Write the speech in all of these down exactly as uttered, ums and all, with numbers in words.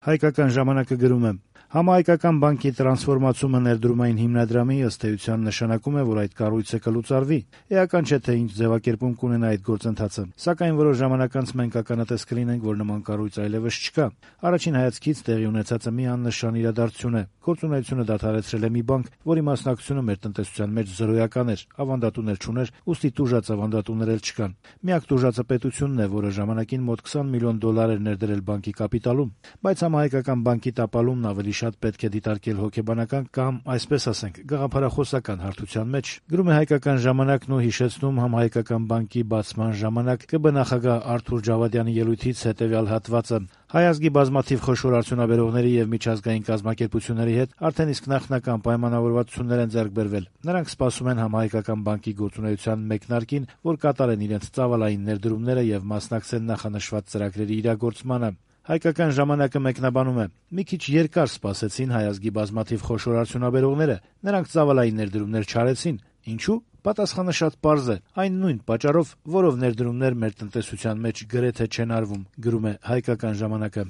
Հայկական ժամանակը գրում է. Համահայկական բանկի տրանսֆորմացումը ներդրումային հիմնադրամի ըստ էության նշանակում է, որ այդ կառույցը կլուծարվի։ Էական չէ, թե ինչ ձևակերպում կունենա այդ գործընթացը, սակայն որոշ ժամանակ անց մենք ականատես կլինենք, որ նման կառույց այլևս չկա։ Առաջին հայացքից տեղի ունեցածը մի աննշան իրադարձություն է։ Գործունեությունը դադարեցրել է մի բանկ, որի մասնակցությունը մեր տնտեսության մեջ զրոյական էր, ավանդատուներ չուներ, ուստի տուժած ավանդատուներ էլ չկան։ Միակ տուժածը պետությունն է, որը ժամանակին մոտ քսան միլիոն դոլար էր ներդրել բանկի կապիտալում, բայց Համահայկական բանկի տապալումն ավելի շատ պետք է դիտարկել հոգեբանական կամ, այսպես ասենք, գաղափարախոսական հարթության մեջ։ Գրում է Հայկական ժամանակն ու հիշեցնում Համահայկական բանկի բացման ժամանակ ԿԲ նախագահ Արթուր Ջավադյանի ելույթից հետևյալ հատվածը. Հայ ազգի բազմաթիվ խոշոր արդյունաբերողների եւ միջազգային կազմակերպությունների հետ արդեն իսկ նախնական պայմանավորվածություններ են ձեռք բերվել։ Նրանք սպասում են Համահայկական բանկի գործունեության մեկնարկին, որ կատարեն իրենց ծավալային ներդրումները եւ մասնակցեն նախանշված ծրագրերի իրագործմանը։ Հայկական ժամանակը մեկնաբանում է. մի քիչ երկար սպասեցին հայ ազգի բազմաթիվ խոշոր արդյունաբերողները, նրանք ծավալային ներդրումներ չարեցին։ Ինչու՞։ Պատասխանը շատ պարզ է. այն նույն պատճառով, որով ներդրումներ մեր տնտեսության մեջ գրեթե չեն արվում, գրում է Հայկական ժամանակը։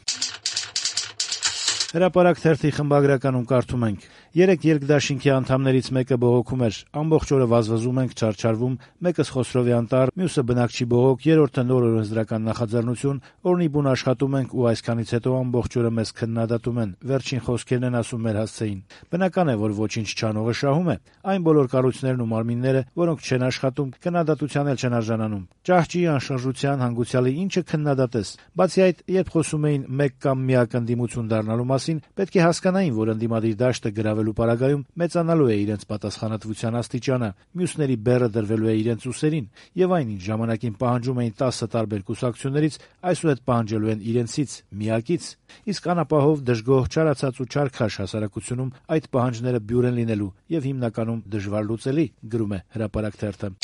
Հրապարակ թերթի խմբագրականում կարդում ենք. Երեք երկդաշինքի անդամներից մեկը բողոքում էր. ամբողջ օրը վազվզում ենք, չարչարվում, մեկս Խոսրովի անտառ, մյուսը բնակչի բողոք, երրորդը նոր օրենսդրական նախաձեռնություն, օրնի բուն աշխատում ենք ու այսքանից հետո ամբողջ օրը մեզ քննադատում են, վերջին խոսքերն են ասում մեր հասցեին։ Բնական է, որ ոչինչ չանողը շահում է, այն բոլոր կառույցներն ու մարմինները, որոնք չեն աշխատում, քննադատության էլ չեն արժանանում։ Ճահճի, անշարժության, հանգուցյալի ինչը քննադատես։ Բացի այդ, երբ խոսում էին մեկ կամ միակ ընդդիմություն դառնալու մասին, պետք է հասկանային, որ ընդդիմադիր դաշտը գրավելու պարագայում մեծանալու է իրենց պատասխանատվության աստիճանը, մյուսների բեռը դրվելու է իրենց ուսերին, եւ այնինչ ժամանակին պահանջում էին տասը տարբեր կուսակցություններից, այսուհետ պահանջելու են իրենցից, միակից։ Իսկ անապահով, դժգոհ, չարացած ու չարքաշ հասարակությունում այդ պահանջները բյուր են լինելու եւ հիմնականում դժվար լուծելի, գրում է Հրապարակ թերթը։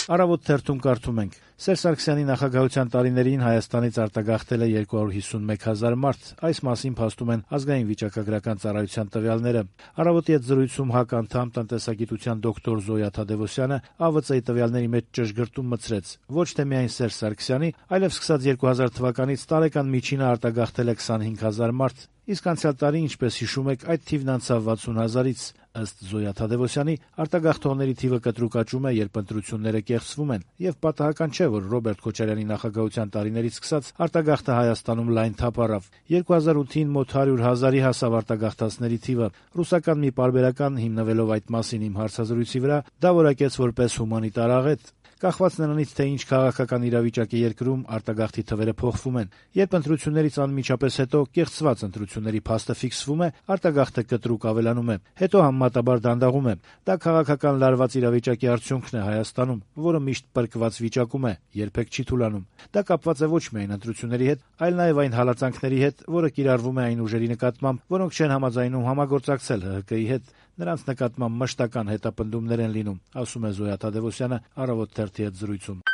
Առավոտ թերթում կարդում ենք. Սերժ Սարգսյանի նախագահության տարիներին Հայաստանից արտագաղթել է երկու հարյուր հիսունմեկ հազար մարդ, այս մասին փաստում են ազգային վիճակագրական ծառայության տվյալները։ Առավոտի հետ զրույցում ՀԱԿ անդամ տնտեսագիտության դոկտոր Զոյա Թադևոսյանը ԱՎԾ-ի տվյալների մեջ ճշգրտում մտցրեց. ոչ թե միայն Սերժ Սարգսյանի, այլև սկսած երկու հազար թվականից տարեկան միջինը արտագաղթել է քսանհինգ հազար մարդ, իսկ անցյալ տարի, ինչպես հիշում եք, այդ թիվն անցավ վաթսուն հազարից։ Ըստ Զոյա Թադևոսյանի, արտագաղթողների թիվը կտրուկ աճում է, երբ ընտրությունները կեղծվում են, եւ պատահական չէ, որ Ռոբերտ Քոչարյանի նախագահության տարիներից սկսած արտագաղթը Հայաստանում լայն թափ առավ։ երկու հազար ութին մոտ հարյուր հազարի հասավ արտագաղթածների թիվը։ Ռուսական մի պարբերական, հիմնվելով այդ մասին իմ հարցազրույցի վրա, դա որակեց որպես հումանիտար աղետ։ Կախված նրանից, թե ինչ քաղաքական իրավիճակ է երկրում, արտագաղթի թվերը փոխվում են։ Երբ ընտրություններից անմիջապես հետո կեղծված ընտրությունների փաստը ֆիքսվում է, արտագաղթը կտրուկ ավելանում է, հետո համեմատաբար դանդաղում է։ Դա քաղաքական լարված իրավիճակի արդյունքն է Հայաստանում, որը միշտ պրկված վիճակում է, երբեք չի թուլանում։ Դա կապված է ոչ միայն ընտրությունների հետ, այլ նաև այն հալածանքների հետ, որը կիրառվում է այն ուժերի նկատմամբ, որոնք չեն համաձայնում համագործակցել ՀՀԿ-ի հետ, նրանց նկատմամբ մշտական հետապնդումներ են լինում, ասում է Զոյա Թադևոսյանը Առավոտ թերթի հետ զրույցում։